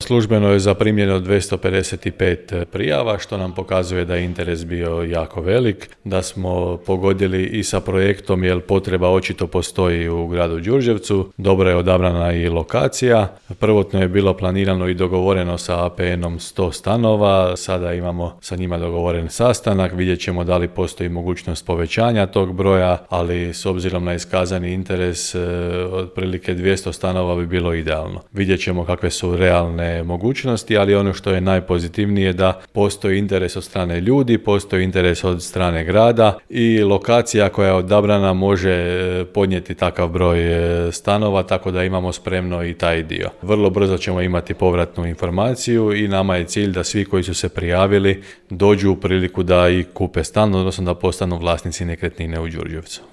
službeno je zaprimljeno 255 prijava, što nam pokazuje da je interes bio jako velik, da smo pogodili i sa projektom jer potreba očito postoji u gradu Đurđevcu. Dobro je odabrana i lokacija. Prvotno je bilo planirano i dogovoreno sa APN-om 100 stanova, sada imamo sa njima dogovoren sastanak, vidjet ćemo da li postoji mogućnost povećanja tog broja, ali s obzirom na iskazani interes otprilike 200 stanova bi bilo idealno. Vidjet ćemo kakve su realne mogućnosti, ali ono što je najpozitivnije da postoji interes od strane ljudi, postoji interes od strane grada i lokacija koja je odabrana može podnijeti takav broj stanova, tako da imamo spremno i taj dio. Vrlo brzo ćemo imati povratnu informaciju i nama je cilj da svi koji su se prijavili dođu u priliku da i kupe stan, odnosno da postanu vlasnici nekretnine u Đurđevcu.